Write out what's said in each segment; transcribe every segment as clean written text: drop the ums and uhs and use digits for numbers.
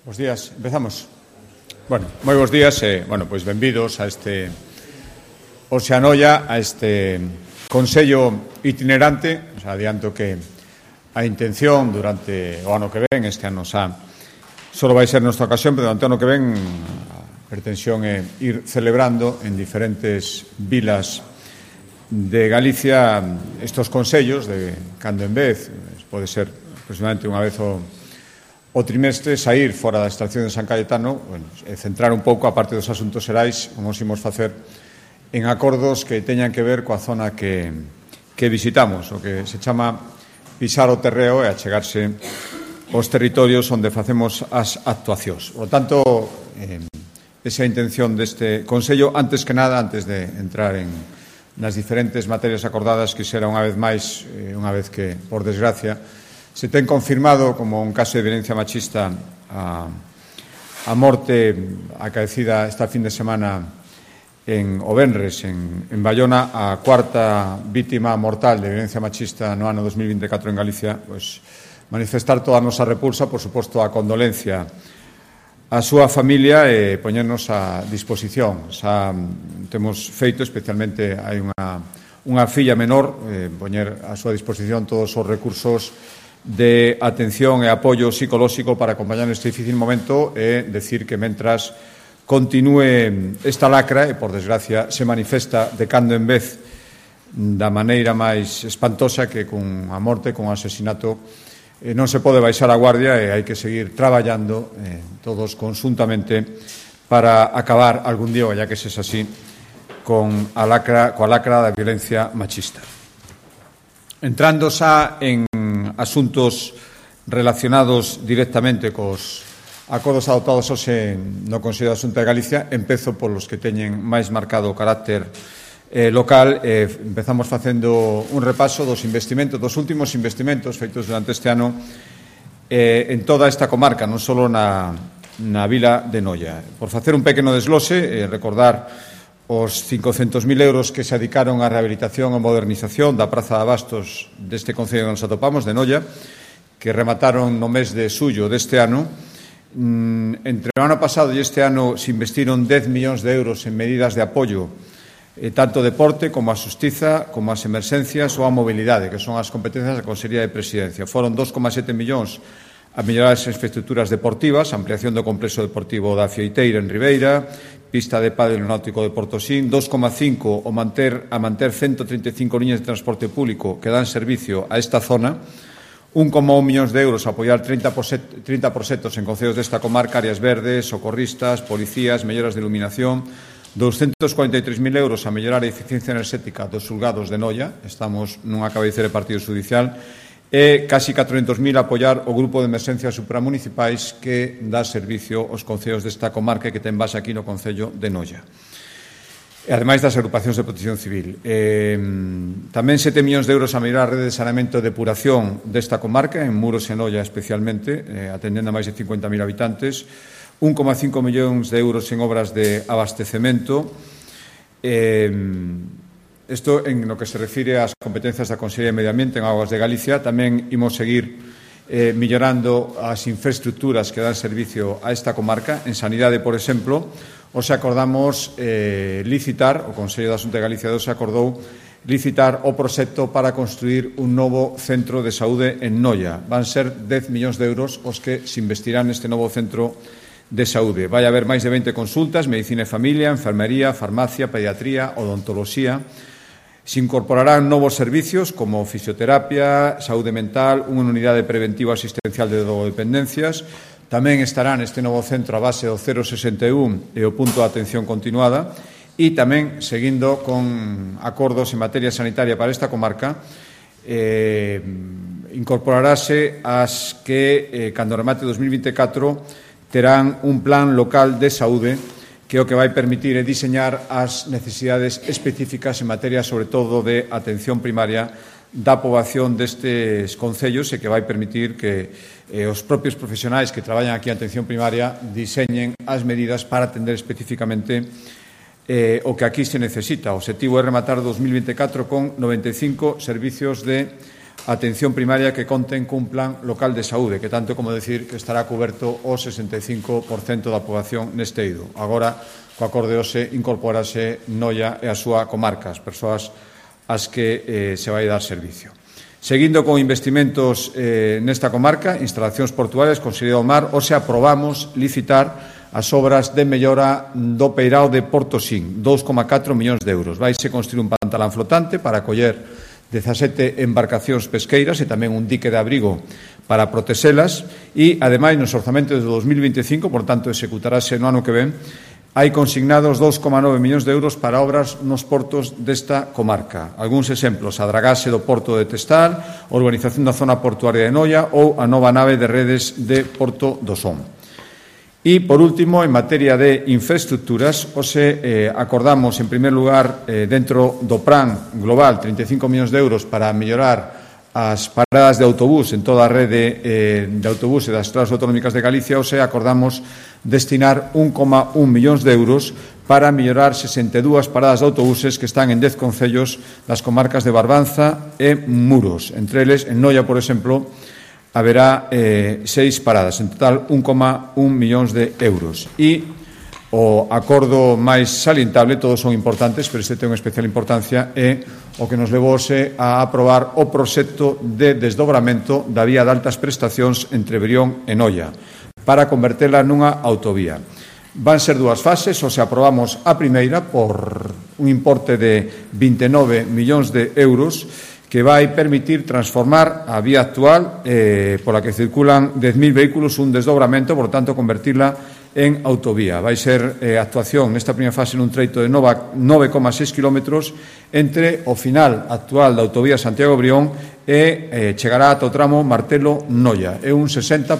Bos días, empezamos. Bueno, moi bons días pois benvidos a este Oceanoia, a este Consello itinerante. Os adianto que a intención durante o ano que ven, este ano xa só vai ser nosa ocasión, pero durante o ano que ven a pretensión é ir celebrando en diferentes vilas de Galicia estos consellos de cando en vez, pode ser aproximadamente unha vez o trimestre, sair fora da estación de San Cayetano e centrar un pouco a parte dos asuntos xerais, como os imos facer en acordos que teñan que ver coa zona que visitamos, o que se chama pisar o terreo e achegarse aos territorios onde facemos as actuacións. Por tanto, esa é a intención deste Consello. Antes que nada, antes de entrar nas diferentes materias acordadas, quixera unha vez máis, unha vez que, por desgracia, se ten confirmado como un caso de violencia machista a morte acaecida esta fin de semana en Obenres, en Bayona, a cuarta vítima mortal de violencia machista no ano 2024 en Galicia, pois manifestar toda a nosa repulsa, por suposto a condolencia a súa familia e poñernos a disposición. Xa temos feito, especialmente hai unha filla menor, poñer a súa disposición todos os recursos de atención e apoio psicolóxico para acompañar neste difícil momento e decir que mentras continúe esta lacra e, por desgracia, se manifesta de cando en vez da maneira máis espantosa que con a morte, con o asesinato, non se pode baixar a guardia e hai que seguir traballando todos conjuntamente para acabar algún día, ya que se é así, coa lacra da violencia machista. Entrando xa en asuntos relacionados directamente cos acordos adoptados hoxe no Consello da Xunta de Galicia, empezo polos que teñen máis marcado o carácter local. Empezamos facendo un repaso dos investimentos, dos últimos investimentos feitos durante este ano en toda esta comarca, non só na vila de Noia. Por facer un pequeno desglose, recordar os 500.000 euros que se adicaron á rehabilitación e modernización da Praza de Abastos deste concello que nos atopamos, de Noia, que remataron no mes de xullo deste ano. Entre o ano pasado e este ano se investiron 10 millóns de euros en medidas de apoio, tanto deporte como a xustiza, como as emerxencias ou a mobilidade, que son as competencias da Consellería de Presidencia. Foron 2,7 millóns a mellorar as infraestructuras deportivas, ampliación do complexo deportivo da Fieiteira en Ribeira, pista de pádel no náutico de Portosín, 2,5 a manter 135 liñas de transporte público que dan servicio a esta zona, 1,1 millóns de euros a apoiar 30 proxectos en concellos desta comarca, áreas verdes, socorristas, policías, melloras de iluminación, 243.000 euros a mellorar a eficiencia enerxética dos xulgados de Noia, estamos nunha cabeceira de partido judicial, e casi 400.000 a apoiar o grupo de emerxencias supramunicipais que dá servicio aos concellos desta comarca que ten base aquí no concello de Noia. E ademais das agrupacións de protección civil. Tamén 7 millóns de euros a mellorar a rede de saneamento e depuración desta comarca, en Muros e Noia especialmente, atendendo a máis de 50.000 habitantes, 1,5 millóns de euros en obras de abastecemento. Isto en lo que se refire ás competencias da Consellería de Medio Ambiente en Augas de Galicia. Tamén imos seguir millorando as infraestructuras que dan servicio a esta comarca. En sanidade, por exemplo, hoxe acordamos licitar, o Consello da Xunta de Galicia hoxe acordou licitar o proxecto para construir un novo centro de saúde en Noia. Van ser 10 millóns de euros os que se investirán neste novo centro de saúde. Vai haber máis de 20 consultas, medicina e familia, enfermería, farmacia, pediatría, odontoloxía. Se incorporarán novos servicios como fisioterapia, saúde mental, unha unidade preventiva asistencial de drogodependencias. Tamén estará neste novo centro a base do 061 e o punto de atención continuada. E tamén, seguindo con acordos en materia sanitaria para esta comarca, incorporarase as que, cando remate 2024, terán un plan local de saúde que o que vai permitir é diseñar as necesidades específicas en materia, sobre todo, de atención primaria da poboación destes concellos e que vai permitir que os propios profesionais que traballan aquí en atención primaria diseñen as medidas para atender específicamente o que aquí se necesita. O obxectivo é rematar 2024 con 95 servicios de atención primaria que conten cun plan local de saúde, que tanto como decir que estará coberto o 65% da poboación neste eido. Agora, co acorde hoxe, incorporase Noia e a súa comarca, as persoas ás que se vai dar servicio. Seguindo con investimentos nesta comarca, instalacións portuarias, Consellería do Mar, hoxe aprobamos licitar as obras de mellora do peirao de Portosín, 2,4 millóns de euros. Vaise construir un pantalán flotante para acoller 17 embarcacións pesqueiras e tamén un dique de abrigo para protexelas e, ademais, nos orzamentos de 2025, por tanto, executarase no ano que ven, hai consignados 2,9 millóns de euros para obras nos portos desta comarca. Algúns exemplos, a dragase do porto de Testal, a urbanización da zona portuaria de Noia ou a nova nave de redes de Porto do Son. E, por último, en materia de infraestructuras, hoxe acordamos, en primer lugar, dentro do plan global, 35 millóns de euros para mellorar as paradas de autobús en toda a rede de autobús e das estradas autonómicas de Galicia. Hoxe acordamos destinar 1,1 millóns de euros para mellorar 62 paradas de autobuses que están en 10 concellos das comarcas de Barbanza e Muros. Entre eles, en Noia, por exemplo, haberá 6 paradas, en total 1,1 millóns de euros. E o acordo máis salientable, todos son importantes, pero este ten unha especial importancia, é o que nos levouse a aprobar o proxecto de desdobramento da vía de altas prestacións entre Brión e Noia para convertela nunha autovía. Van ser dúas fases, ou se aprobamos a primeira por un importe de 29 millóns de euros que vai permitir transformar a vía actual pola que circulan 10.000 vehículos un desdobramento, por tanto, convertirla en autovía. Vai ser actuación nesta primeira fase nun treito de 9,6 kilómetros entre o final actual da autovía Santiago-Brión e chegará ata o tramo Martelo-Noia. É un 60%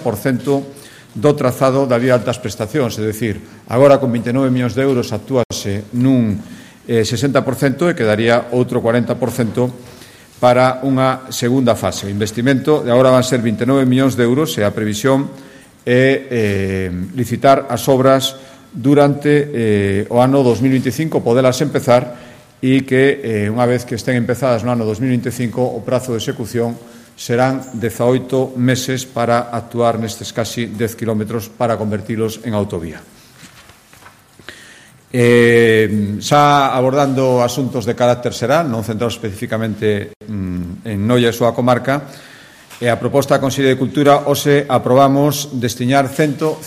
do trazado da vía de altas prestacións, é dicir, agora con 29 millóns de euros actúase nun 60% e quedaría outro 40% para unha segunda fase. O investimento de agora van ser 29 millóns de euros e a previsión é licitar as obras durante o ano 2025, podelas empezar e que unha vez que estén empezadas no ano 2025 o prazo de execución serán 18 meses para actuar nestes casi 10 kilómetros para convertilos en autovía. Xa abordando asuntos de carácter xeral, non centrados especificamente en Noia e súa comarca, e a proposta da Consellería de Cultura, hoxe aprobamos destinar 150.000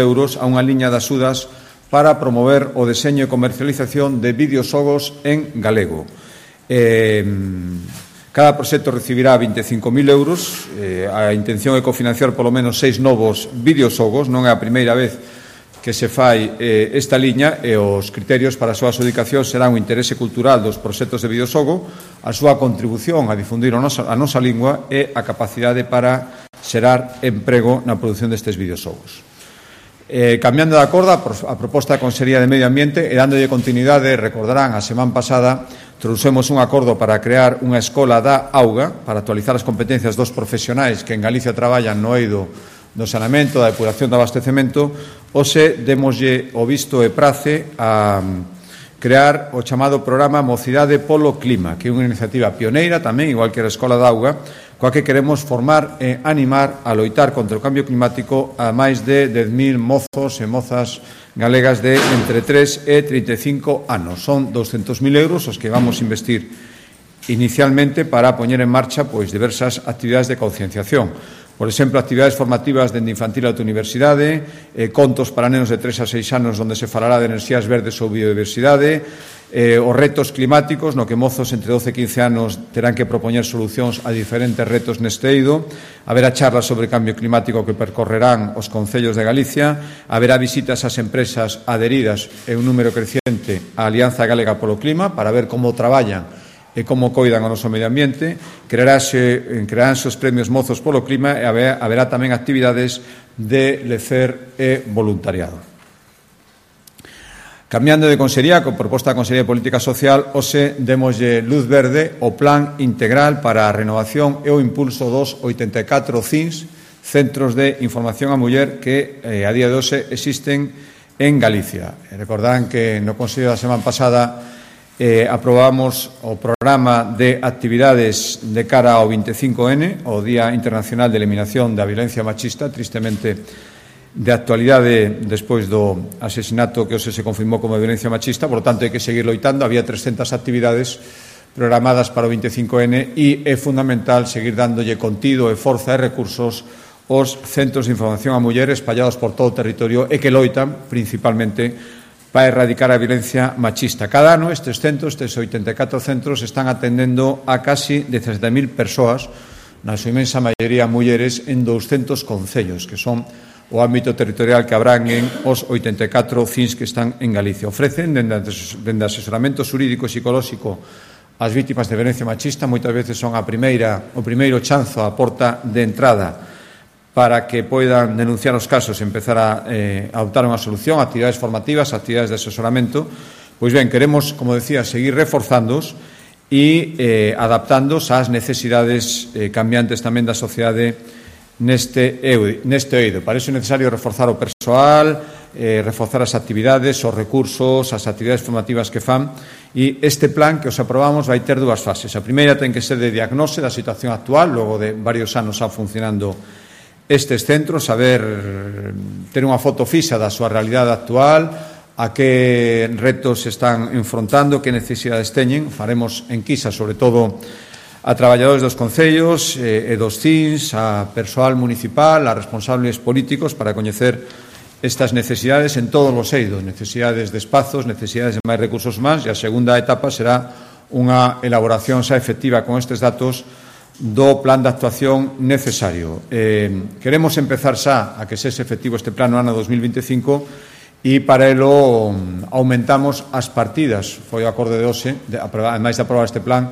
euros a unha liña de axudas para promover o deseño e comercialización de videoxogos en galego. Cada proxecto recibirá 25.000 euros. A intención é cofinanciar polo menos 6 novos videoxogos. Non é a primeira vez que se fai esta liña e os criterios para a súa adjudicación serán o interese cultural dos proxectos de videoxogo, a súa contribución a difundir a nosa lingua e a capacidade para xerar emprego na produción destes videoxogos. Cambiando de acordo, a proposta da Consellería de Medio Ambiente e dándolle continuidade, recordarán, a semana pasada trouxemos un acordo para crear unha escola da auga para actualizar as competencias dos profesionais que en Galicia traballan no eido do saneamento, da depuración do abastecemento. Hoxe demoslle o visto e prace a crear o chamado programa Mocidade polo Clima, que é unha iniciativa pioneira tamén, igual que a Escola da Auga, coa que queremos formar e animar a loitar contra o cambio climático a máis de 10.000 mozos e mozas galegas de entre 3 e 35 anos. Son 200.000 euros os que vamos investir inicialmente para poñer en marcha diversas actividades de concienciación. Por exemplo, actividades formativas dende infantil ata universidade, contos para nenos de 3 a 6 anos onde se falará de enerxías verdes ou biodiversidade, os retos climáticos, no que mozos entre 12 e 15 anos terán que propoñer solucións a diferentes retos neste eido, haberá charlas sobre cambio climático que percorrerán os concellos de Galicia, haberá visitas ás empresas adheridas e un número creciente á Alianza Galega polo Clima para ver como traballan e como coidan o noso medio ambiente. Crearánse os premios Mozos polo Clima e haberá tamén actividades de lecer e voluntariado. Cambiando de consellería, con proposta da Consellería de Política Social, hoxe demoslle luz verde o Plan Integral para a Renovación e o Impulso dos 84 CINS, Centros de Información á Muller, que a día de hoxe existen en Galicia. Recordarán que no Consello da semana pasada aprobamos o programa de actividades de cara ao 25N, o Día Internacional de Eliminación da Violencia Machista, tristemente de actualidade despois do asesinato que hoxe se confirmou como violencia machista, por tanto hai que seguir loitando. Había 300 actividades programadas para o 25N e é fundamental seguir dándolle contido e forza e recursos aos centros de información a mulleres espallados por todo o territorio e que loitan principalmente para erradicar a violencia machista. Cada ano estes centros, estes 84 centros, están atendendo a casi 17.000 persoas, na súa inmensa maioría mulleres, en 200 concellos, que son o ámbito territorial que abranguen os 84 CINS que están en Galicia. Ofrecen, dende asesoramento xurídico e psicolóxico ás vítimas de violencia machista, moitas veces son o primeiro chanzo, a porta de entrada para que poidan denunciar os casos e empezar a adoptar unha solución, actividades formativas, actividades de asesoramento. Pois ben, queremos, como decía, seguir reforzándoos e adaptándoos ás necesidades cambiantes tamén da sociedade neste eido. Para iso é necesario reforzar o persoal, reforzar as actividades, os recursos, as actividades formativas que fan, e este plan que os aprobamos vai ter dúas fases. A primeira ten que ser de diagnose da situación actual, logo de varios anos xa funcionando estes centros, ter unha foto fixa da súa realidade actual, a que retos están enfrontando, que necesidades teñen. Faremos enquisas, sobre todo, a traballadores dos concellos e dos CINS, a persoal municipal, a responsables políticos, para coñecer estas necesidades en todos os eidos, necesidades de espazos, necesidades de máis recursos humanos, e a segunda etapa será unha elaboración xa efectiva con estes datos do plan de actuación necesario. Queremos empezar xa a que sexe efectivo este plan no ano 2025 e para elo aumentamos as partidas. Foi o acorde de hoxe, ademais de aprobar este plan,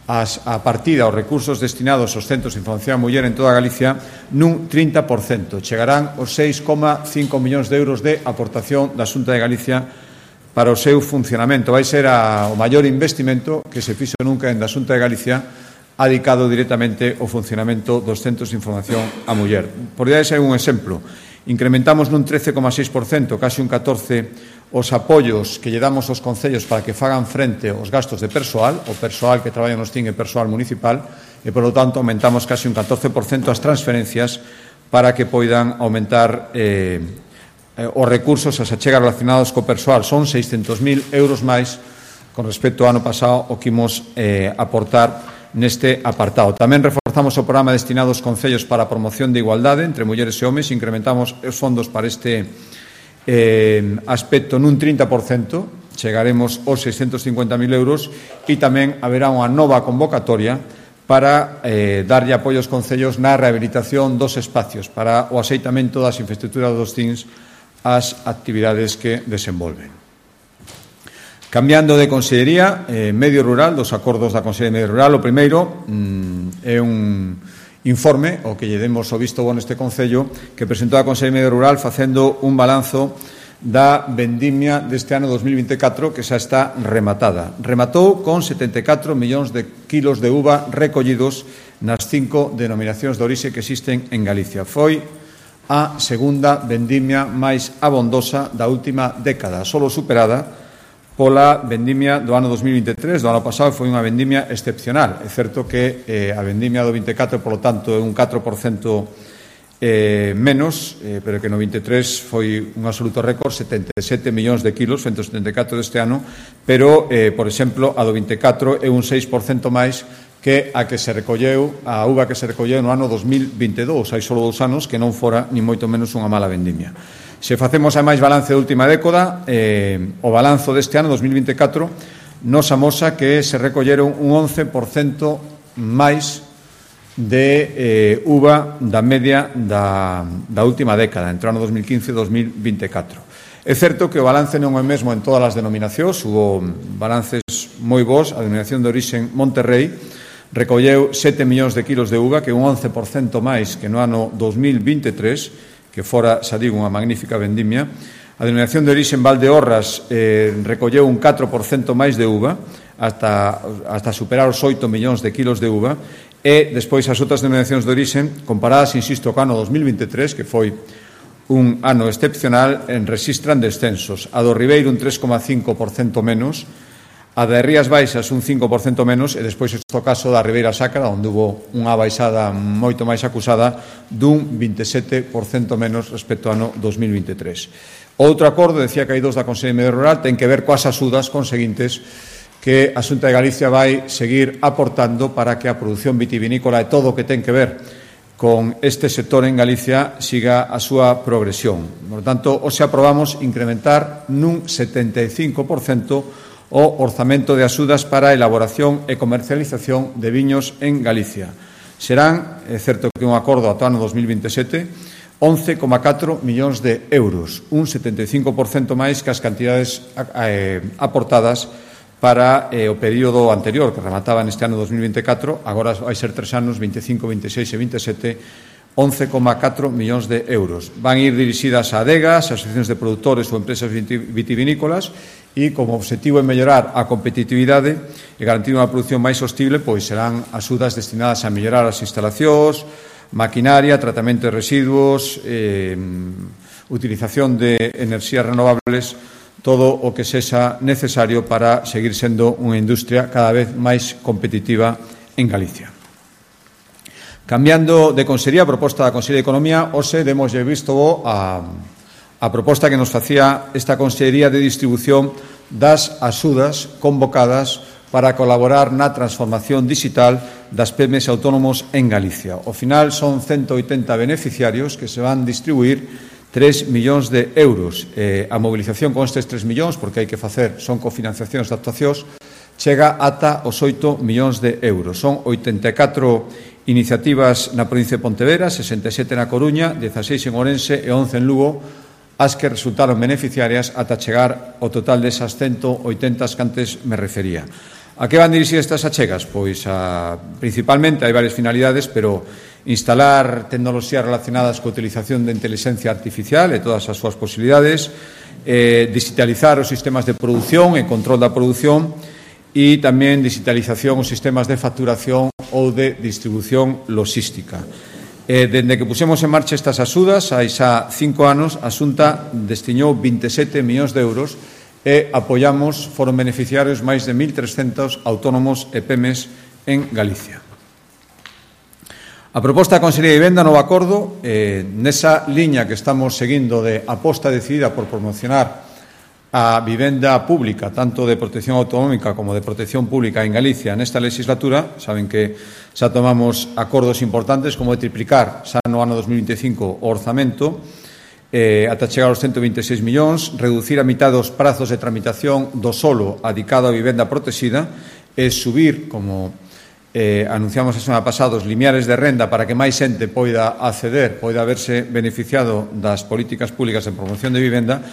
a partida, os recursos destinados aos centros de información a muller en toda Galicia nun 30%. Chegarán os 6,5 millóns de euros de aportación da Xunta de Galicia para o seu funcionamento. Vai ser o maior investimento que se fixo nunca en da Xunta de Galicia, adicado directamente ao funcionamento dos centros de información a muller. Por dar un exemplo, incrementamos nun 13,6%, casi un 14%, os apoios que lle damos aos concellos para que fagan frente aos gastos de persoal, o persoal que traballa nos TIN e persoal municipal, e, por lo tanto, aumentamos casi un 14% as transferencias para que poidan aumentar os recursos, as achegas relacionados co persoal. Son 600.000 euros máis con respecto ao ano pasado o que imos aportar neste apartado. Tamén reforzamos o programa destinado aos concellos para a promoción de igualdade entre mulleres e homes, incrementamos os fondos para este aspecto nun 30%, chegaremos aos 650.000 euros, e tamén haberá unha nova convocatoria para darlle apoio aos concellos na rehabilitación dos espacios para o axeitamento das infraestructuras dos CINS ás actividades que desenvolven. Cambiando de consellería, medio rural, dos acordos da Consellería de Medio Rural, o primeiro é un informe, o que lle demos o visto bueno este Concello, que presentou a Consellería de Medio Rural facendo un balanzo da vendimia deste ano 2024 que xa está rematada. Rematou con 74 millóns de kilos de uva recollidos nas 5 denominacións de orixe que existen en Galicia. Foi a segunda vendimia máis abondosa da última década, solo superada pola vendimia do ano 2023, do ano pasado, foi unha vendimia excepcional. É certo que a vendimia do 24, por lo tanto, é un 4% menos, pero que no 23 foi un absoluto récord, 77 millóns de kilos, 174 deste ano, pero, por exemplo, a do 24 é un 6% máis que a que se recolleu, a uva que se recolleu no ano 2022, hai só 2 anos, que non fora ni moito menos unha mala vendimia. Se facemos a máis balance da última década, o balanzo deste ano, 2024, nos amosa que se recolleron un 11% máis de uva da media da última década, entre o ano 2015 e 2024. É certo que o balance non é o mesmo en todas as denominacións, hubo balances moi bons. A denominación de orixen Monterrey recolleu 7 millóns de kilos de uva, que é un 11% máis que no ano 2023, que fora, xa digo, unha magnífica vendimia. A denominación de orixe en Valdeorras recolleu un 4% máis de uva, hasta superar os 8 millóns de kilos de uva, e despois as outras denominacións de orixe, comparadas, insisto, co ano 2023, que foi un ano excepcional, registran descensos. A do Ribeiro un 3,5% menos, A de Rías Baixas un 5% menos e despois este caso da Ribeira Sacra, onde hubo unha baixada moito máis acusada dun 27% menos respecto ao ano 2023. Outro acordo, decía que hai dos da Consellería de Medio Rural, ten que ver coas axudas conseguintes que a Xunta de Galicia vai seguir aportando para que a produción vitivinícola e todo o que ten que ver con este sector en Galicia siga a súa progresión. Por tanto, hoxe aprobamos incrementar nun 75% o orzamento de axudas para a elaboración e comercialización de viños en Galicia. Serán, é certo que un acordo ata o ano 2027, 11,4 millóns de euros, un 75% máis que as cantidades aportadas para o período anterior, que remataba neste ano 2024, agora vai ser 3 anos, 25, 26 e 27, 11,4 millóns de euros. Van ir dirixidas a adegas, asociacións de produtores ou empresas vitivinícolas e, como obxectivo é mellorar a competitividade e garantir unha produción máis sostible, pois serán axudas destinadas a mellorar as instalacións, maquinaria, tratamento de residuos, utilización de enerxías renovables, todo o que sexa necesario para seguir sendo unha industria cada vez máis competitiva en Galicia. Cambiando de consellería, a proposta da Consellería de Economía, hoxe demoslle visto a proposta que nos facía esta Consellería de Distribución das axudas convocadas para colaborar na transformación digital das PMEs autónomos en Galicia. Ao final son 180 beneficiarios que se van distribuir 3 millóns de euros. A mobilización con estes 3 millóns, porque hai que facer, son cofinanciacións de actuacións, chega ata os 8 millóns de euros. Son 84 iniciativas na provincia de Pontevedra, 67 na Coruña, 16 en Ourense e 11 en Lugo, as que resultaron beneficiarias ata chegar ao total desas 180 que antes me refería. A que van dirixidas estas achegas? Pois principalmente hai varias finalidades, pero instalar tecnoloxías relacionadas coa utilización de inteligencia artificial e todas as súas posibilidades, digitalizar os sistemas de produción e control da produción e tamén digitalización os sistemas de facturación ou de distribución logística. Dende que pusemos en marcha estas axudas, hai xa 5 anos, a Xunta destinou 27 millóns de euros e apoiamos, foron beneficiarios máis de 1.300 autónomos e PEMES en Galicia. A proposta da Consellería de Vivenda, novo acordo, nesa liña que estamos seguindo de aposta decidida por promocionar a vivenda pública, tanto de protección autonómica como de protección pública en Galicia nesta legislatura. Saben que xa tomamos acordos importantes como de triplicar xa no ano 2025 o orzamento ata chegar aos 126 millóns, reducir a mitad dos prazos de tramitación do solo adicado a vivenda protexida e subir, como anunciamos a semana pasada, os limiares de renda para que máis xente poida acceder, poida verse beneficiado das políticas públicas de promoción de vivenda.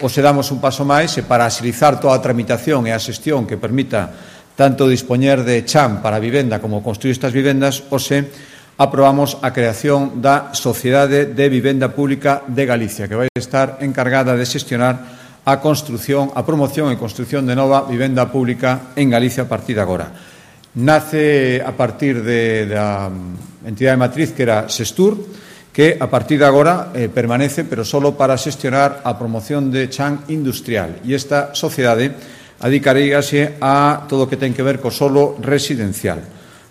Ou se damos un paso máis e para axilizar toda a tramitación e a xestión que permita tanto dispoñer de chan para a vivenda como construir estas vivendas, hoxe aprobamos a creación da Sociedade de Vivenda Pública de Galicia, que vai estar encargada de xestionar a construción, a promoción e construción de nova vivenda pública en Galicia a partir de agora. Nace a partir da entidade matriz que era Sestur, que a partir de agora permanece, pero solo para xestionar a promoción de chan industrial. E esta sociedade adicaríase a todo o que ten que ver co solo residencial.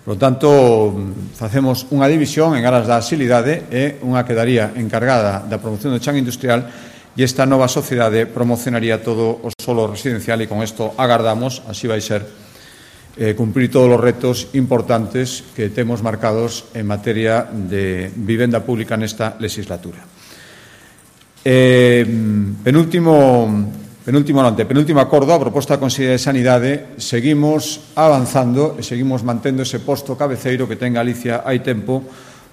Por lo tanto, facemos unha división en aras da axilidade e unha quedaría encargada da promoción do chan industrial e esta nova sociedade promocionaría todo o solo residencial e con isto agardamos, así vai ser, cumprir todos os retos importantes que temos marcados en materia de vivenda pública nesta legislatura. Penúltimo acordo, a proposta da Consellería de Sanidade, seguimos avanzando e seguimos mantendo ese posto cabeceiro que ten Galicia hai tempo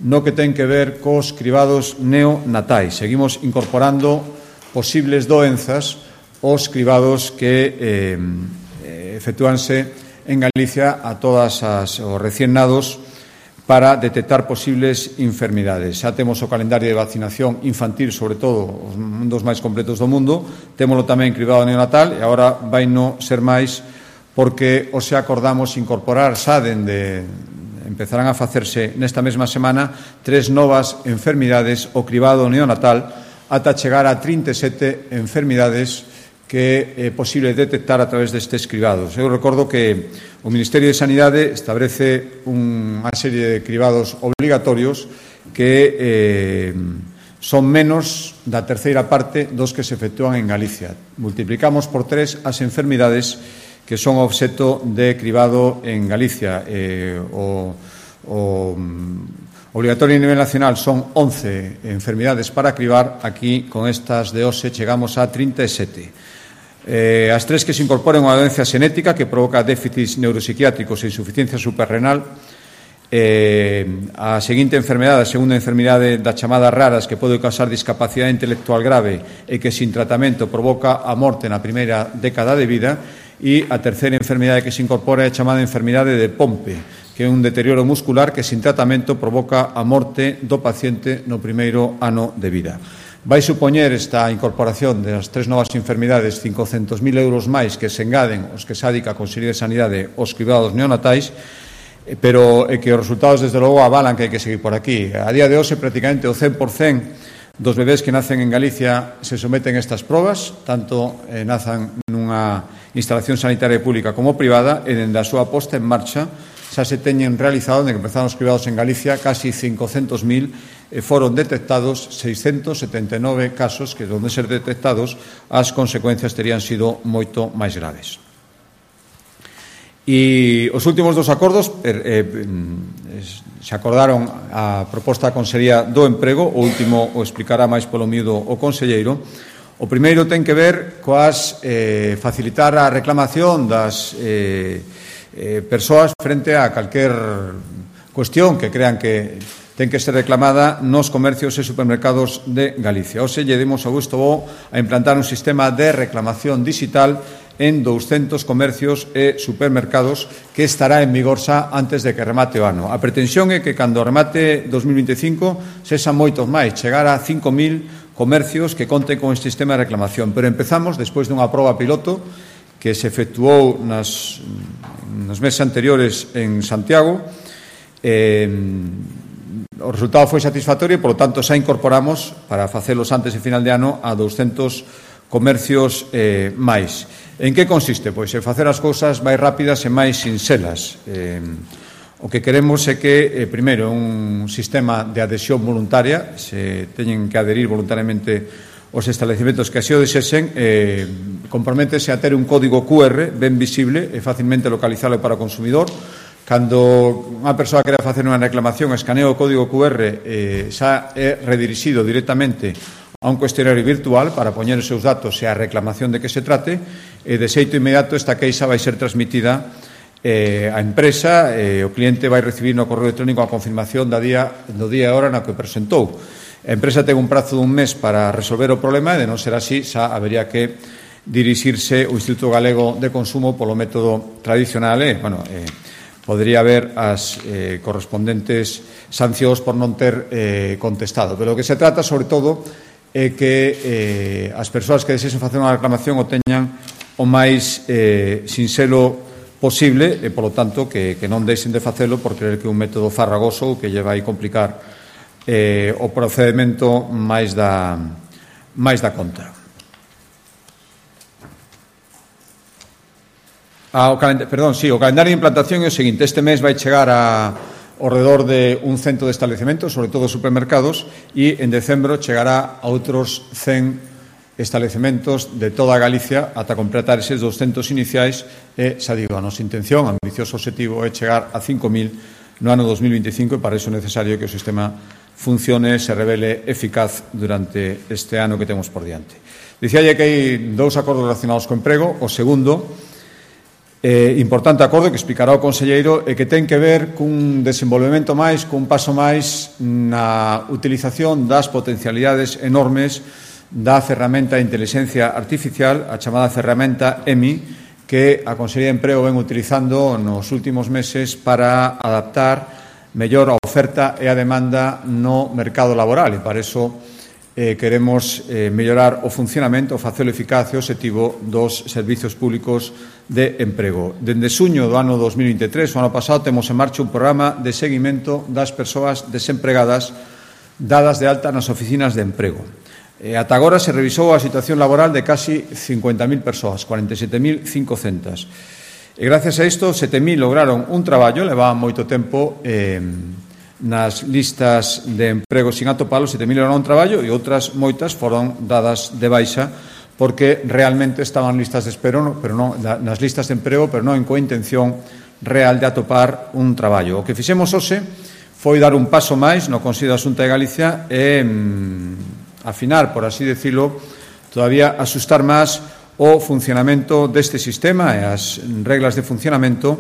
no que ten que ver cos cribados neonatais. Seguimos incorporando posibles doenzas aos cribados que efectúanse en Galicia a todas os recién nados para detectar posibles enfermidades. Xa temos o calendario de vacinación infantil, sobre todo, un dos máis completos do mundo. Témolo tamén cribado neonatal e agora vai non ser máis porque hoxe acordamos incorporar xa empezarán a facerse nesta mesma semana 3 novas enfermidades o cribado neonatal ata chegar a 37 enfermidades que é posible detectar a través destes cribados. Eu recordo que o Ministerio de Sanidade establece unha serie de cribados obligatorios que son menos da terceira parte dos que se efectúan en Galicia. Multiplicamos por 3 as enfermidades que son obxeto de cribado en Galicia. Obligatorio a nivel nacional son 11 enfermidades para cribar. Aquí, con estas de hoxe, chegamos a 37. As 3 que se incorporan unha doenza xenética que provoca déficits neuropsiquiátricos e insuficiencia suprarrenal. A seguinte enfermedade, a segunda enfermidade das chamadas raras, que pode causar discapacidade intelectual grave e que sin tratamento provoca a morte na primeira década de vida. E a terceira enfermidade que se incorpora é a chamada enfermidade de Pompe, que é un deterioro muscular que sin tratamento provoca a morte do paciente no primeiro ano de vida. Vai supoñer esta incorporación das 3 novas enfermidades 500.000 euros máis que se engaden os que se adica a Consellería de Sanidade aos cribados neonatais, pero que os resultados desde logo avalan que hai que seguir por aquí. A día de hoxe prácticamente o 100% dos bebés que nacen en Galicia se someten a estas probas, tanto nazan nunha instalación sanitaria pública como privada, e dende a súa posta en marcha xa se teñen realizado, dende que empezaron os cribados en Galicia, casi 500.000, foron detectados 679 casos que, onde ser detectados, as consecuencias terían sido moito máis graves. E os últimos 2 acordos se acordaron a proposta da Consellería do Emprego. O último o explicará máis polo miúdo o conselleiro. O primeiro ten que ver coas facilitar a reclamación das persoas frente a calquer cuestión que crean que ten que ser reclamada nos comercios e supermercados de Galicia. Hoxe lle demos a gusto bo a implantar un sistema de reclamación digital en 200 comercios e supermercados que estará en vigor xa antes de que remate o ano. A pretensión é que cando remate 2025 sexan moitos máis, chegar a 5.000 comercios que conten con este sistema de reclamación. Pero empezamos despois dunha proba piloto que se efectuou nos meses anteriores en Santiago. O resultado foi satisfactorio e, polo tanto, xa incorporamos, para facelos antes de final de ano, a 200 comercios máis. En que consiste? Pois en facer as cousas máis rápidas e máis sinxelas. O que queremos é que, primeiro, un sistema de adhesión voluntaria, se teñen que adherir voluntariamente os establecementos que así o desexen, comprométese a ter un código QR ben visible e facilmente localizable para o consumidor. Cando unha persoa quere facer unha reclamación, escanea o código QR, xa é redirixido directamente a un cuestionario virtual para poñer os seus datos e a reclamación de que se trate, e de xeito inmediato esta queixa vai ser transmitida á empresa, o cliente vai recibir no correo electrónico a confirmación do día e hora na que presentou. A empresa ten un prazo dun mes para resolver o problema, e de non ser así xa habería que dirixirse ao Instituto Galego de Consumo polo método tradicional. Podría haber as correspondentes sancións por non ter contestado. Pero o que se trata, sobre todo, é que as persoas que desexen facer unha reclamación o teñan o máis sinxelo posible e, polo tanto, que non deixen de facelo por creer que é un método farragoso que lle vai complicar o procedimento máis da conta. O calendario de implantación é o seguinte. Este mes vai chegar ao redor de un 100 de establecementos, sobre todo supermercados, e en decembro chegará a outros 100 establecementos de toda Galicia ata completar eses 200 iniciais. E, xa digo, a nosa intención, ambicioso objetivo, é chegar a 5.000 no ano 2025, e para iso é necesario que o sistema funcione e se revele eficaz durante este ano que temos por diante. Dicíalle que hai 2 acordos relacionados co emprego. O segundo, importante acordo que explicará o conselleiro, e que ten que ver cun desenvolvemento máis, cun paso máis na utilización das potencialidades enormes da ferramenta de inteligencia artificial, a chamada ferramenta EMI, que a Consellería de Emprego ven utilizando nos últimos meses para adaptar mellor a oferta e a demanda no mercado laboral, e para iso queremos mellorar o funcionamento, facelo eficaz e obxectivo dos servizos públicos de emprego. Dende xuño do ano 2023, o ano pasado, temos en marcha un programa de seguimento das persoas desempregadas dadas de alta nas oficinas de emprego. Ata agora se revisou a situación laboral de casi 50.000 persoas, 47.500. E gracias a isto, 7.000 lograron un traballo, levaban moito tempo nas listas de emprego sin atopalo, 7.000 lograron un traballo e outras moitas foron dadas de baixa porque realmente estaban listas de espero, pero non nas listas de emprego, pero non coa intención real de atopar un traballo. O que fixemos hoxe foi dar un paso máis no Consello da Xunta de Galicia e afinar, por así decirlo, todavía asustar máis o funcionamento deste sistema e as reglas de funcionamento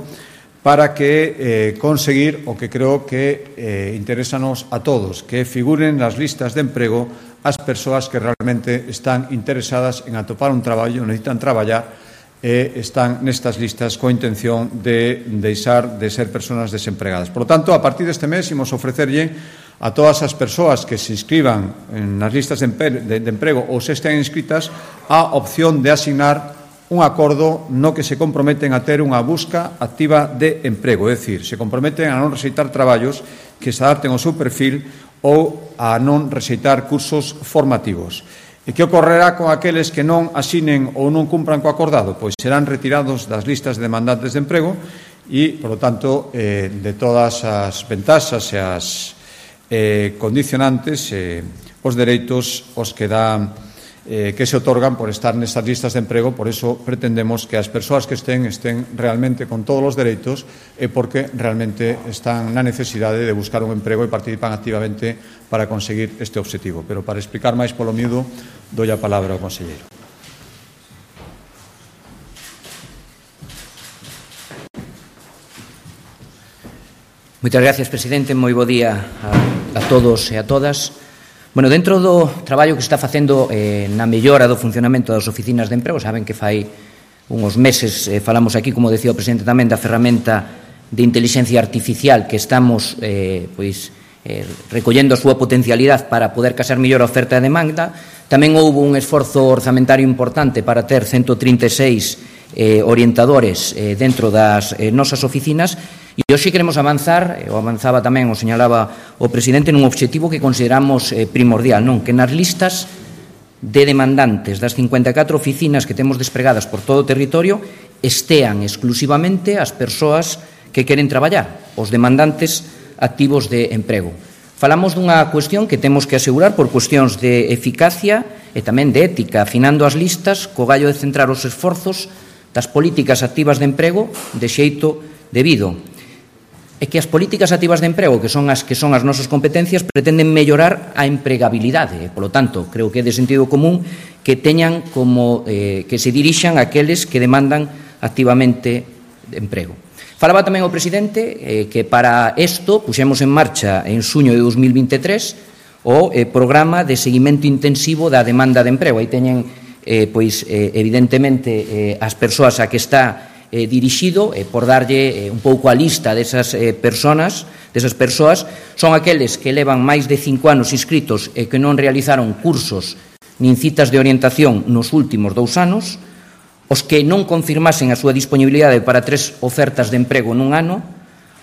para que conseguir o que creo que interésanos a todos, que figuren nas listas de emprego as persoas que realmente están interesadas en atopar un traballo, necesitan traballar e están nestas listas coa intención de deixar de ser persoas desempregadas. Por lo tanto, a partir deste mes, imos ofrecerlle a todas as persoas que se inscriban nas listas de emprego ou se estén inscritas a opción de asignar un acordo no que se comprometen a ter unha busca activa de emprego, é dicir, se comprometen a non rexeitar traballos que se adapten ao seu perfil ou a non rexeitar cursos formativos. E que ocorrerá con aqueles que non asinen ou non cumpran co acordado? Pois serán retirados das listas de demandantes de emprego e, por lo tanto, de todas as ventaxas e as condicionantes, os dereitos os que que se otorgan por estar nestas listas de emprego. Por eso pretendemos que as persoas que estén realmente con todos os dereitos e porque realmente están na necesidade de buscar un emprego e participan activamente para conseguir este obxectivo. Pero para explicar máis polo miúdo, doi a palabra ao conselleiro. Moitas gracias, presidente. Moi bo día a todos e a todas. Bueno, dentro do traballo que está facendo na mellora do funcionamento das oficinas de emprego, saben que fai uns meses falamos aquí, como decía o presidente tamén, da ferramenta de inteligencia artificial que estamos recollendo a súa potencialidade para poder casar mellor a oferta e a demanda. Tamén houve un esforzo orzamentario importante para ter 136 orientadores dentro das nosas oficinas. E hoxe queremos avanzar, o avanzaba tamén, o señalaba o presidente, nun obxectivo que consideramos primordial, non? Que nas listas de demandantes das 54 oficinas que temos despregadas por todo o territorio estean exclusivamente as persoas que queren traballar, os demandantes activos de emprego. Falamos dunha cuestión que temos que asegurar por cuestións de eficacia e tamén de ética, afinando as listas co gallo de centrar os esforzos das políticas activas de emprego de xeito debido. É que as políticas activas de emprego, que son as nosas competencias, pretenden mellorar a empregabilidade. Por lo tanto, creo que é de sentido común que teñan como que se dirixan aqueles que demandan activamente de emprego. Falaba tamén o presidente que para isto puxemos en marcha en xuño de 2023 o programa de seguimento intensivo da demanda de emprego. Aí teñen, evidentemente, as persoas a que está dirixido, por darlle un pouco a lista desas persoas, son aqueles que levan máis de 5 anos inscritos e que non realizaron cursos nin citas de orientación nos últimos 2 anos, os que non confirmasen a súa disponibilidade para 3 ofertas de emprego nun ano,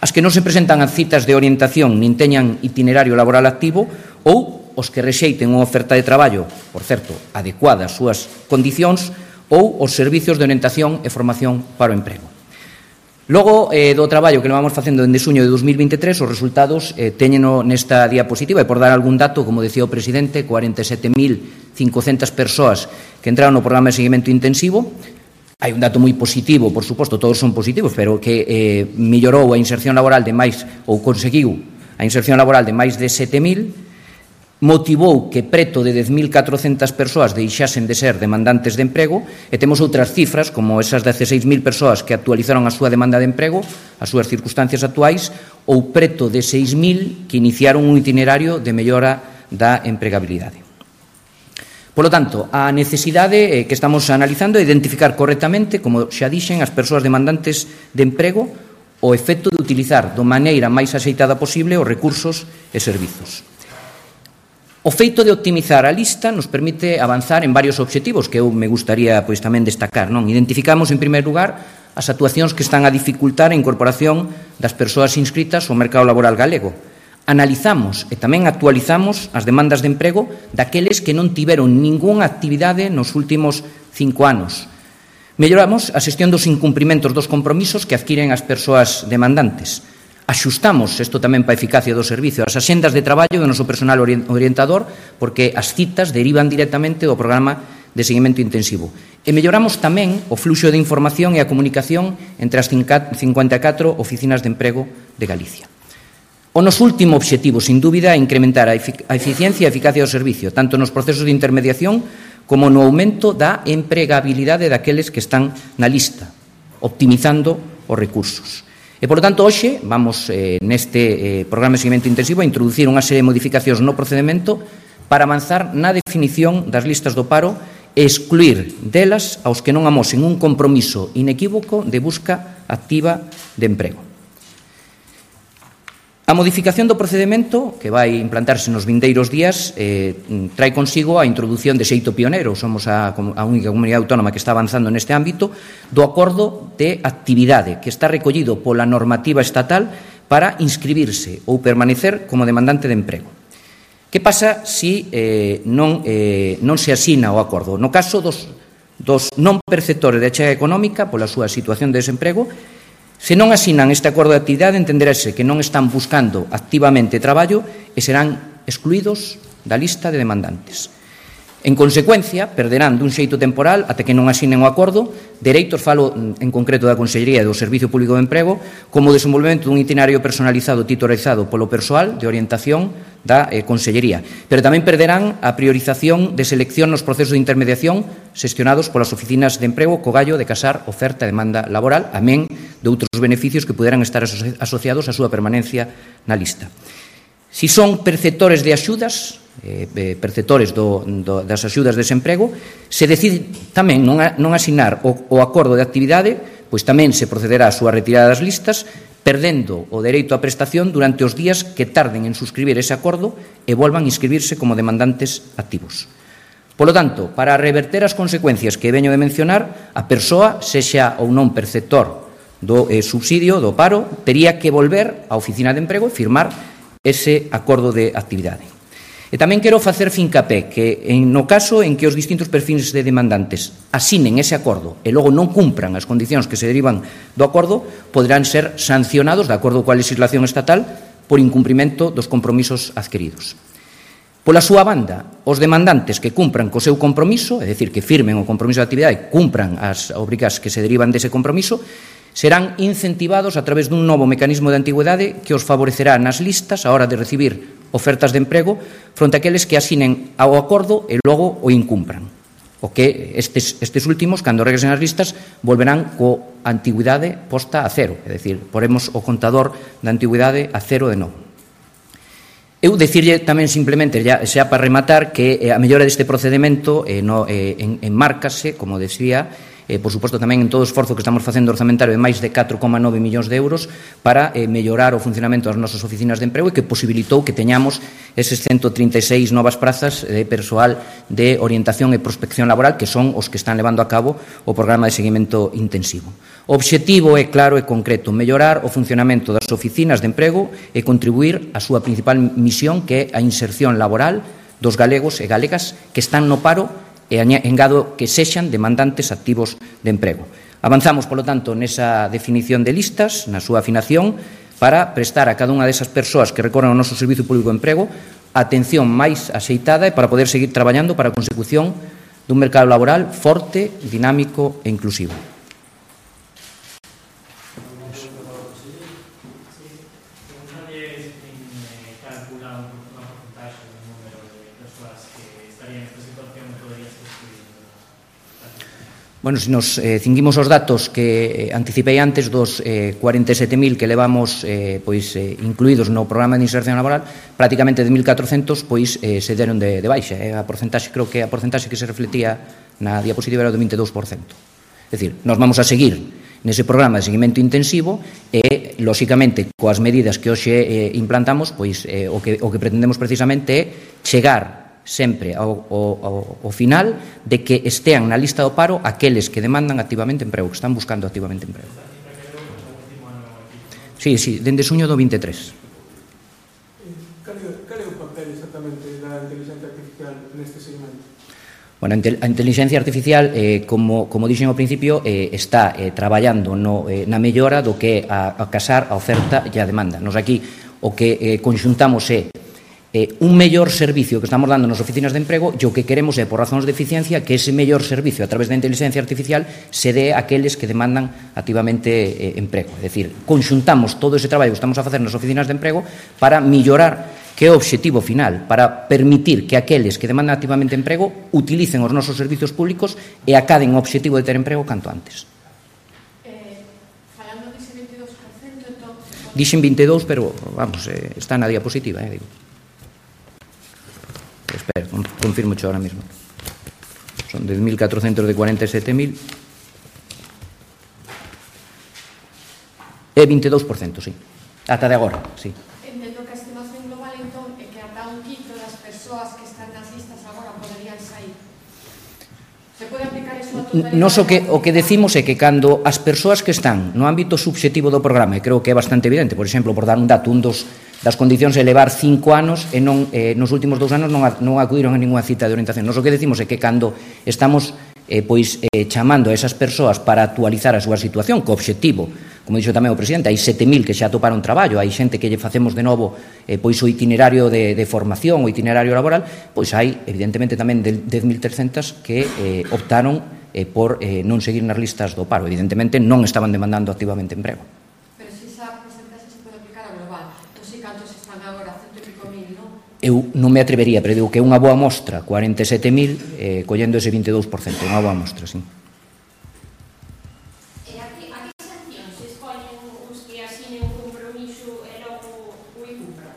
as que non se presentan a citas de orientación nin teñan itinerario laboral activo ou os que rexeiten unha oferta de traballo, por certo, adecuada ás súas condicións, ou os servicios de orientación e formación para o emprego. Logo do traballo que levamos facendo dende xuño de 2023, os resultados téñeno nesta diapositiva, e por dar algún dato, como decía o presidente, 47.500 persoas que entraron no programa de seguimento intensivo. Hai un dato moi positivo, por suposto, todos son positivos, pero que mellorou a inserción laboral de máis, ou conseguiu a inserción laboral de máis de 7.000, motivou que preto de 10.400 persoas deixasen de ser demandantes de emprego, e temos outras cifras, como esas 16.000 persoas que actualizaron a súa demanda de emprego, as súas circunstancias actuais, ou preto de 6.000 que iniciaron un itinerario de mellora da empregabilidade. Por lo tanto, a necesidade que estamos analizando é identificar correctamente, como xa dixen, as persoas demandantes de emprego, o efecto de utilizar da maneira máis axeitada posible os recursos e servizos. O feito de optimizar a lista nos permite avanzar en varios obxectivos que eu me gustaría tamén destacar. Identificamos, en primeiro lugar, as actuacións que están a dificultar a incorporación das persoas inscritas ao mercado laboral galego. Analizamos e tamén actualizamos as demandas de emprego daqueles que non tiveron ningunha actividade nos últimos 5 anos. Melloramos a xestión dos incumprimentos dos compromisos que adquiren as persoas demandantes. Axustamos, isto tamén para a eficacia do servicio, as axendas de traballo do noso personal orientador, porque as citas derivan directamente do programa de seguimento intensivo. E melloramos tamén o fluxo de información e a comunicación entre as 54 oficinas de emprego de Galicia. O noso último obxectivo, sin dúbida, é incrementar a eficiencia e a eficacia do servicio, tanto nos procesos de intermediación como no aumento da empregabilidade daqueles que están na lista, optimizando os recursos. E, por tanto, hoxe vamos neste programa de seguimento intensivo a introducir unha serie de modificacións no procedimento para avanzar na definición das listas do paro e excluir delas aos que non amosen un compromiso inequívoco de busca activa de emprego. A modificación do procedimento, que vai implantarse nos vindeiros días, trae consigo a introdución de xeito pioneiro, somos a única comunidade autónoma que está avanzando neste ámbito, do acordo de actividade, que está recollido pola normativa estatal para inscribirse ou permanecer como demandante de emprego. Que pasa se non se asina o acordo? No caso dos non perceptores de achega económica pola súa situación de desemprego, se non asinan este acordo de actividade, entenderase que non están buscando activamente traballo e serán excluídos da lista de demandantes. En consecuencia, perderán dun xeito temporal ata que non asinen o acordo dereitos, falo en concreto da Consellería do Servicio Público de Emprego, como o desenvolvemento dun itinerario personalizado titularizado polo persoal de orientación da Consellería. Pero tamén perderán a priorización de selección nos procesos de intermediación xestionados polas oficinas de emprego co gallo de casar oferta e demanda laboral, amén de outros beneficios que puderan estar asociados á súa permanencia na lista. Si son perceptores de axudas, perceptores das axudas de desemprego, se decide tamén non asinar o acordo de actividade, pois tamén se procederá á súa retirada das listas, perdendo o dereito á prestación durante os días que tarden en suscribir ese acordo e volvan a inscribirse como demandantes activos. Polo tanto, para reverter as consecuencias que veño de mencionar, a persoa, sexa ou non perceptor do subsidio, do paro, tería que volver á oficina de emprego e firmar ese acordo de actividade. E tamén quero facer fincapé que no caso en que os distintos perfis de demandantes asinen ese acordo e logo non cumpran as condicións que se derivan do acordo, poderán ser sancionados, de acordo coa legislación estatal, por incumprimento dos compromisos adquiridos. Pola súa banda, os demandantes que cumpran co seu compromiso, é dicir, que firmen o compromiso de actividade e cumpran as obrigas que se derivan dese compromiso, serán incentivados a través dun novo mecanismo de antigüedade que os favorecerá nas listas a hora de recibir ofertas de emprego fronte a aqueles que asinen ao acordo e logo o incumpran. O que estes últimos, cando regresen as listas, volverán co antigüidade posta a cero, é dicir, poremos o contador da antigüidade a cero de novo. Eu dicirlle tamén simplemente, xa para rematar, que a mellora deste procedimento enmárcase, como decía, por suposto tamén en todo o esforzo que estamos facendo orzamentario de máis de 4,9 millóns de euros para mellorar o funcionamento das nosas oficinas de emprego e que posibilitou que teñamos eses 136 novas prazas de persoal de orientación e prospección laboral que son os que están levando a cabo o programa de seguimento intensivo. O obxectivo é claro e concreto, mellorar o funcionamento das oficinas de emprego e contribuir á súa principal misión, que é a inserción laboral dos galegos e galegas que están no paro e engado que sexan demandantes activos de emprego. Avanzamos, polo tanto, nesa definición de listas, na súa afinación, para prestar a cada unha desas persoas que recorren ao noso Servicio Público de Emprego a atención máis axeitada e para poder seguir traballando para a consecución dun mercado laboral forte, dinámico e inclusivo. Bueno, se nos cinguimos os datos que anticipei antes dos 47.000 que levamos incluídos no programa de inserción laboral, prácticamente de 1.400 se deron de baixa. A porcentaxe, creo que a porcentaxe que se reflectía na diapositiva era do 22%. É dicir, nós vamos a seguir nese programa de seguimento intensivo e, lóxicamente, coas medidas que hoxe implantamos, o que pretendemos precisamente é chegar sempre ao final de que estean na lista do paro aqueles que demandan activamente emprego, que están buscando activamente emprego. Sí, dende xuño do 23. Bueno, a inteligencia artificial, como dixen ao principio, está traballando na mellora do que é a casar a oferta e a demanda. Nos aquí o que conxuntamos é un mellor servicio que estamos dando nas oficinas de emprego e o que queremos é, por razóns de eficiencia, que ese mellor servicio a través da inteligencia artificial se dé a aqueles que demandan activamente emprego. É dicir, conxuntamos todo ese traballo que estamos a facer nas oficinas de emprego para mellorar que é o obxectivo final, para permitir que aqueles que demandan activamente emprego utilicen os nosos servizos públicos e acaden o obxectivo de ter emprego canto antes. Falando dese 22%, entón... Dixen 22, pero, vamos, está na diapositiva, digo. Espera, confirmo xo ahora mesmo. Son 10.400 de 47.000. É 22%, sí. Ata de agora, sí. Entendo que a estimación global, entón, é que ata un quinto das persoas que están nas listas agora poderían sair. Se pode aplicar eso a totalidade? Nos o que decimos é que cando as persoas que están no ámbito subxectivo do programa, e creo que é bastante evidente, por exemplo, por dar un dato, un das condicións é levar 5 anos e nos últimos 2 anos non acudiron a ninguna cita de orientación. Nos o que decimos é que cando estamos chamando a esas persoas para actualizar a súa situación, co obxectivo, como dixo tamén o presidente, hai 7.000 que xa atoparon traballo, hai xente que lle facemos de novo o itinerario de formación, o itinerario laboral, pois hai evidentemente tamén 10.300 que optaron por non seguir nas listas do paro. Evidentemente non estaban demandando activamente emprego. Pero se esa porcentaxe se pode aplicar a global, entón se cantos están agora, 100 e pico mil, non? Eu non me atrevería, pero digo que é unha boa mostra, 47.000, collendo ese 22%, unha boa mostra, sí. E a que sancións se escollen os que asinen un compromiso e logo o incumpran?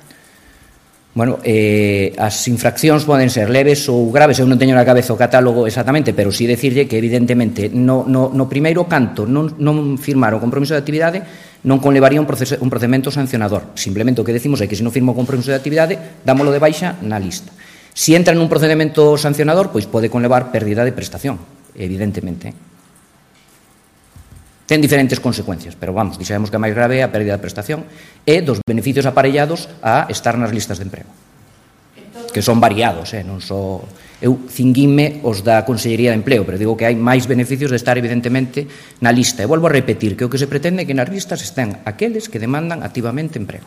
Bueno, as infraccións poden ser leves ou graves, eu non teño na cabeza o catálogo exactamente, pero sí decirlle que evidentemente no primeiro canto non firmar o compromiso de actividade non conlevaría un procedimento sancionador. Simplemente o que decimos é que se non firma o compromiso de actividade, dámolo de baixa na lista. Se entra nun procedimento sancionador, pois pode conlevar pérdida de prestación, evidentemente. Ten diferentes consecuencias, pero vamos, dixemos que a máis grave é a pérdida de prestación e dos beneficios aparellados a estar nas listas de emprego, que son variados, non só... Eu cinguinme os da Consellería de Empleo, pero digo que hai máis beneficios de estar evidentemente na lista. E volvo a repetir que o que se pretende é que nas listas estén aqueles que demandan activamente emprego.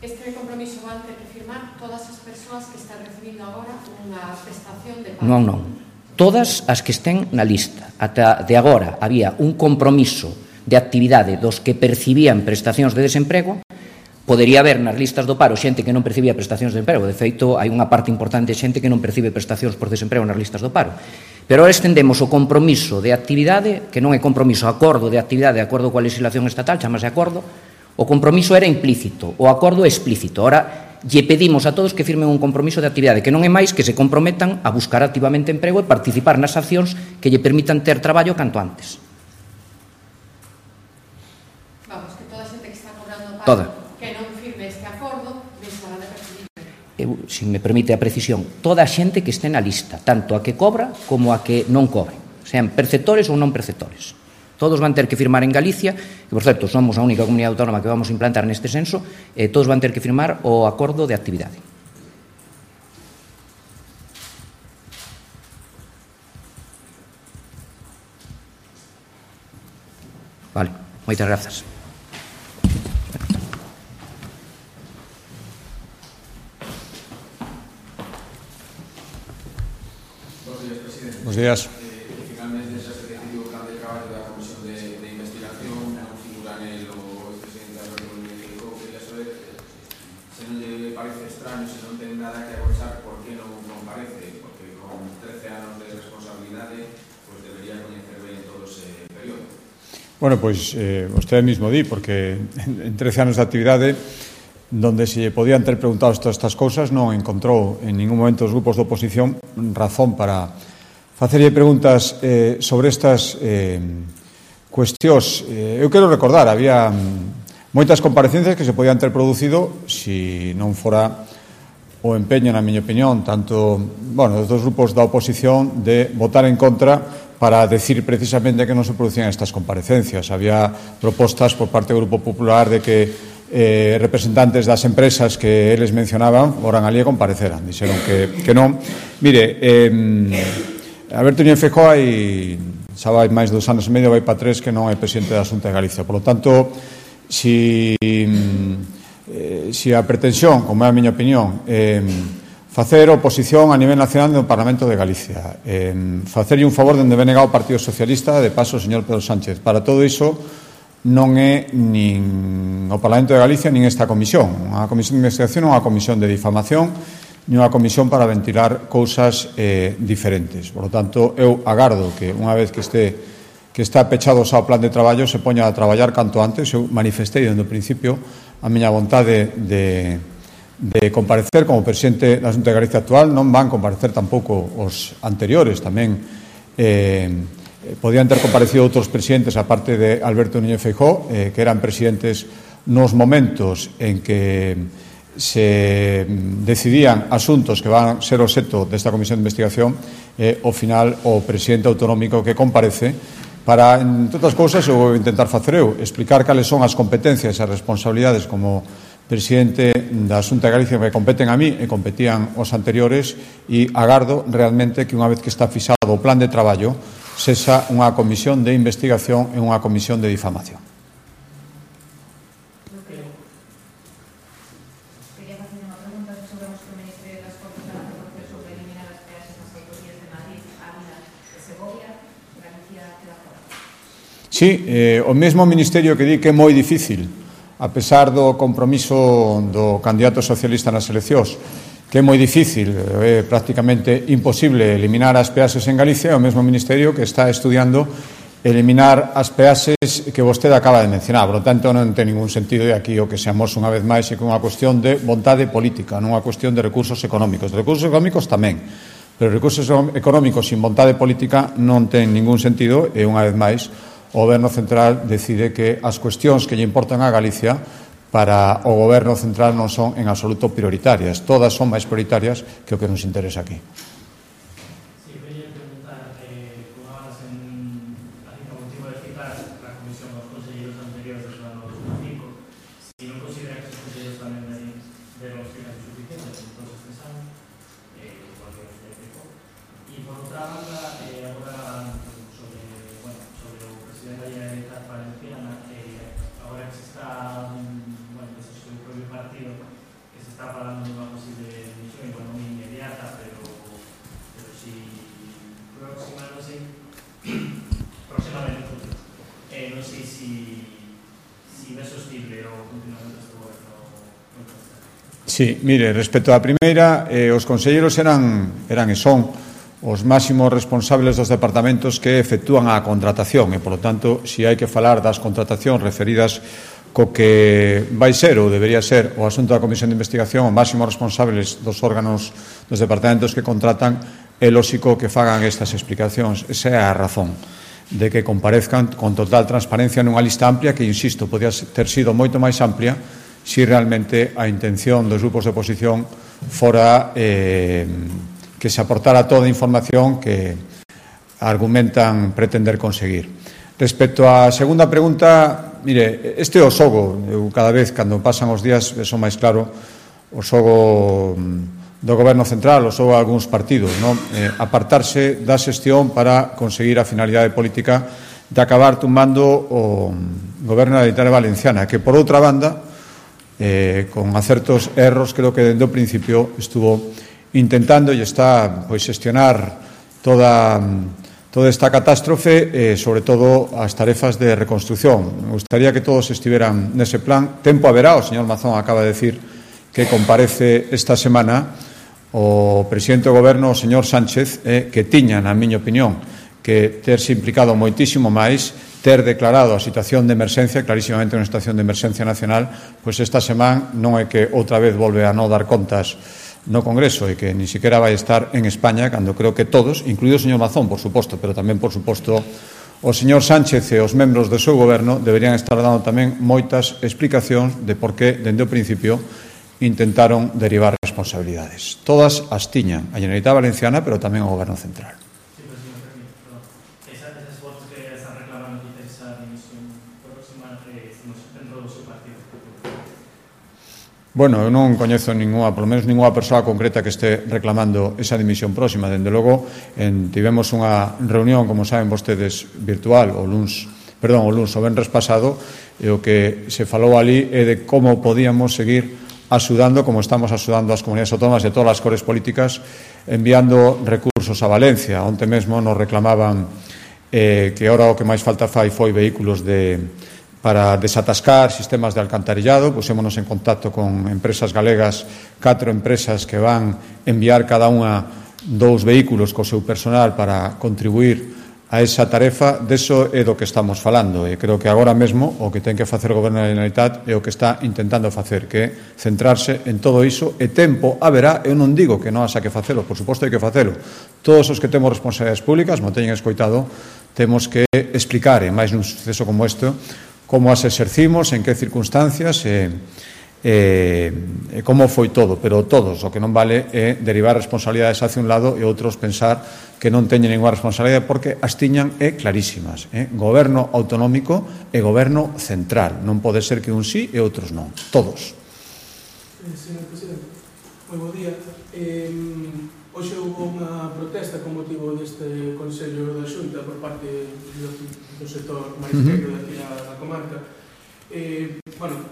Este compromiso van ter que firmar todas as persoas que están recibindo agora unha prestación de paro? Non. Todas as que estén na lista. Ata de agora había un compromiso de actividade dos que percibían prestacións de desemprego. Podería haber nas listas do paro xente que non percibía prestacións de emprego. De feito, hai unha parte importante de xente que non percibe prestacións por desemprego nas listas do paro. Pero ahora estendemos o compromiso de actividade, que non é compromiso, acordo de actividade de acordo coa legislación estatal, chamase acordo. O compromiso era implícito, o acordo é explícito. Ahora lle pedimos a todos que firmen un compromiso de actividade, que non é máis que se comprometan a buscar activamente emprego e participar nas accións que lle permitan ter traballo canto antes. Vamos, que toda a xente que está cobrando paro... Toda. Que non firme este acordo, deixará de percibir. Se me permite a precisión, toda a xente que este na lista, tanto a que cobra como a que non cobre, sean perceptores ou non perceptores. Todos van ter que firmar en Galicia, que, por certo, somos a única comunidade autónoma que vamos a implantar neste censo, todos van ter que firmar o acordo de actividade. Vale, moitas grazas. Buenos días. Finalmente xa se decidiu o plan de traballo da Comisión de Investigación, non figura o presidente da reunión de México. Quería saber se non lle parece extraño, se non ten nada que agochar, por que non parece, porque con 13 anos de responsabilidade pues debería coñecer ben todo ese período. Bueno, pois vostede mismo di, porque en 13 anos de actividade donde se podían ter preguntado todas estas cousas non encontrou en ningún momento os grupos de oposición razón para facerlle preguntas sobre estas cuestións. Eu quero recordar, había moitas comparecencias que se podían ter producido se non fora o empeño, na miña opinión, tanto, dos dos grupos da oposición de votar en contra para decir precisamente que non se producían estas comparecencias. Había propostas por parte do Grupo Popular de que representantes das empresas que eles mencionaban foran ali e compareceran, dixeron que non. Mire, Alberto Núñez Feijóo xa vai máis de 2 anos e medio, vai para 3 que non é presidente da Xunta de Galicia. Por lo tanto, si a pretensión, como é a miña opinión, facer oposición a nivel nacional no Parlamento de Galicia, facerlle un favor dende venega o Partido Socialista, de paso o señor Pedro Sánchez, para todo iso non é nin o Parlamento de Galicia nin esta comisión. Unha comisión de investigación non é unha comisión de difamación nin unha comisión para ventilar cousas diferentes. Por lo tanto, eu agardo que unha vez que está pechado xa o plan de traballo se poña a traballar canto antes. Eu manifestei dende o principio a miña vontade de comparecer como presidente da Xunta de Galicia actual. Non van comparecer tampouco os anteriores, tamén podían ter comparecido outros presidentes aparte de Alberto Núñez Feijóo, que eran presidentes nos momentos en que se decidían asuntos que van a ser obxecto desta comisión de investigación, ao final o presidente autonómico que comparece para, entre outras cousas, eu vou intentar facer eu, explicar cales son as competencias e as responsabilidades como presidente da Xunta de Galicia que competen a mí e competían os anteriores, e agardo realmente que unha vez que está fixado o plan de traballo sexa unha comisión de investigación e unha comisión de difamación. Quería facer unha pregunta sobre os que o Ministerio das Cortes para o proceso de eliminar as peaxes nas autovías de Madrid, Ávila e Segovia. Galicia queda fora. Sí, o mesmo Ministerio que di que é moi difícil, a pesar do compromiso do candidato socialista nas eleccións, que é moi difícil, é prácticamente imposible eliminar as peaxes en Galicia, é o mesmo Ministerio que está estudiando eliminar as peaxes que vostede acaba de mencionar. Por lo tanto, non ten ningún sentido, e aquí o que seamos unha vez máis é que unha cuestión de vontade política, non unha cuestión de recursos económicos. De recursos económicos tamén, pero recursos económicos sin vontade política non ten ningún sentido, e unha vez máis o Goberno Central decide que as cuestións que lle importan a Galicia para o Goberno Central non son en absoluto prioritarias. Todas son máis prioritarias que o que nos interesa aquí. Sí, quería preguntar, como hablas haciendo motivo de citar la comisión dos conselleiros anteriores do ano 2005, si non considera que os conselleiros tamén deron explicación suficiente en todos estes anos, igual que os explicou. E, por outra banda, agora sobre o presidente da Generalitat Valenciana, agora que se está partido que se está falando de unha posible dimisión, igual non inmediata, pero si próxima, non sei, próximamente futuro. Non sei si é sostible o funcionamento deste goberno. Sí, mire, respecto á primeira, os conselleiros eran e son os máximos responsables dos departamentos que efectúan a contratación, e, polo tanto, si hai que falar das contratacións referidas co que vai ser ou debería ser o asunto da Comisión de Investigación, os máximos responsables dos órganos dos departamentos que contratan, é lóxico que fagan estas explicacións. Esa é a razón de que comparezcan con total transparencia nunha lista amplia que, insisto, podía ter sido moito máis amplia si realmente a intención dos grupos de oposición fora que se aportara toda a información que argumentan pretender conseguir. Respecto á segunda pregunta, mire, este é o xogo. Eu cada vez, cando pasan os días, son máis claro o xogo do Goberno Central, o xogo de algúns partidos, non? Apartarse da xestión para conseguir a finalidade política de acabar tumbando o Goberno da Generalitat Valenciana, que, por outra banda, con acertos erros, creo que dende o principio estuvo intentando e está xestionar toda esta catástrofe, sobre todo as tarefas de reconstrucción. Me gustaría que todos estiveran nese plan. Tempo haberá, o señor Mazón acaba de decir que comparece esta semana o presidente do Goberno, o señor Sánchez, que tiña, na miña opinión, que terse implicado moitísimo máis, ter declarado a situación de emerxencia, clarísimamente unha situación de emerxencia nacional, pois esta semana non é que outra vez volve a non dar contas no Congreso e que ni siquiera vai estar en España, cando creo que todos, incluído o señor Mazón, por suposto, pero tamén, por suposto, o señor Sánchez e os membros do seu goberno deberían estar dando tamén moitas explicacións de por que, dende o principio, intentaron derivar responsabilidades. Todas as tiñan a Generalitat Valenciana, pero tamén o Goberno Central. Sí, pero si me permite, esas voces que están reclamando que esa dimisión próxima dentro do seu partido. Bueno, eu non coñezo polo menos ninguna persoa concreta que este reclamando esa dimisión próxima. Dende logo, tivemos unha reunión, como saben vostedes, virtual o venres pasado, e o que se falou ali é de como podíamos seguir axudando, como estamos axudando as comunidades autónomas de todas as cores políticas, enviando recursos a Valencia. Onte mesmo nos reclamaban que ahora o que máis falta foi vehículos para desatascar sistemas de alcantarillado. Pusémonos en contacto con empresas galegas, 4 empresas que van enviar cada unha 2 vehículos co seu personal para contribuir a esa tarefa. Deso é do que estamos falando, e creo que agora mesmo o que ten que facer o Goberno da Generalitat é o que está intentando facer, que é centrarse en todo iso, e tempo haberá. Eu non digo que non haxa que facelo, por suposto hai que facelo. Todos os que temos responsabilidades públicas, mo teñen escoitado, temos que explicar, e máis nun suceso como este, como as exercimos, en que circunstancias e como foi todo, pero todos, o que non vale é derivar responsabilidades hacia un lado e outros pensar que non teñen ninguna responsabilidade, porque as tiñan clarísimas. Goberno autonómico e goberno central. Non pode ser que un sí e outros non. Todos. Señor Presidente, moi bo día. Hoxe houve unha protesta con motivo deste Consello da Xunta por parte do sector marisqueiro daqui da comarca.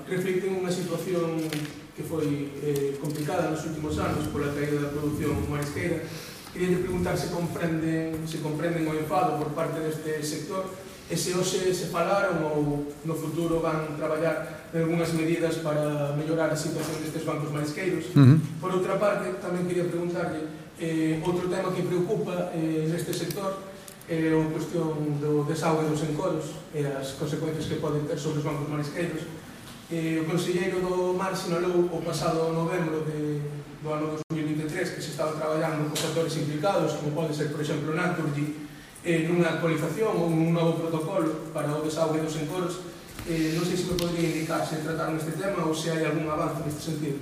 Reflicten unha situación que foi complicada nos últimos anos pola caída da produción marisqueira. Queria preguntar se comprenden o enfado por parte deste sector e se hoxe se falaron ou no futuro van traballar en algunhas medidas para mellorar a situación destes bancos marisqueiros. Por outra parte, tamén quería preguntarlle outro tema que preocupa neste sector é a cuestión do desaugue dos encoros e as consecuencias que poden ter sobre os bancos marisqueiros. O conselleiro do Mar sinalou o pasado novembro do ano 2023 que se estaba traballando con sectores implicados, como pode ser, por exemplo, Naturgy, nunha actualización ou un novo protocolo para o desaugue dos encoros. Non sei se me podría indicar se trataron este tema ou se hai algún avance neste sentido.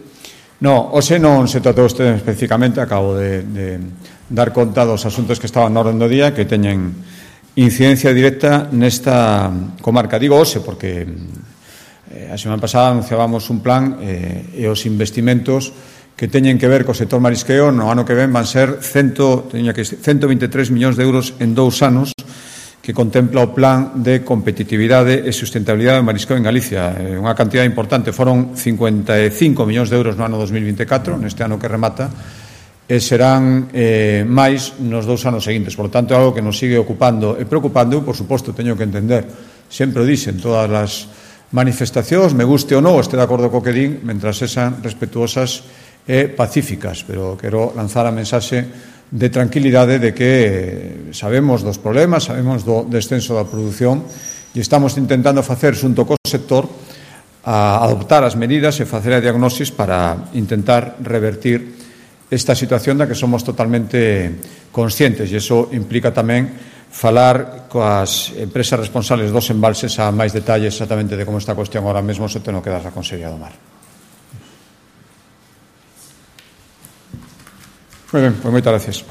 No, hoxe non se tratou este especificamente. Acabo de dar conta dos asuntos que estaban na orden do día que teñen incidencia directa nesta comarca. Digo hoxe porque a semana pasada anunciábamos un plan e os investimentos que teñen que ver co sector marisqueo no ano que ven van ser 123 millóns de euros en 2 anos, que contempla o plan de competitividade e sustentabilidade do marisqueo en Galicia. Unha cantidad importante, foron 55 millóns de euros no ano 2024, neste ano que remata, e serán máis nos 2 anos seguintes. Por lo tanto, é algo que nos sigue ocupando e preocupando. Por suposto, teño que entender, sempre o dixen todas as manifestacións, me guste ou non, este de acordo co que din, mentras sexan respetuosas e pacíficas, pero quero lanzar a mensaxe de tranquilidade de que sabemos dos problemas, sabemos do descenso da produción e estamos intentando facer xunto co sector a adoptar as medidas e facer a diagnosis para intentar revertir esta situación da que somos totalmente conscientes, e iso implica tamén falar coas empresas responsables dos embalses a máis detalles exactamente de como está a cuestión ahora mesmo, se ten que dar a Consellería do Mar. Moi ben, pois moitas gracias.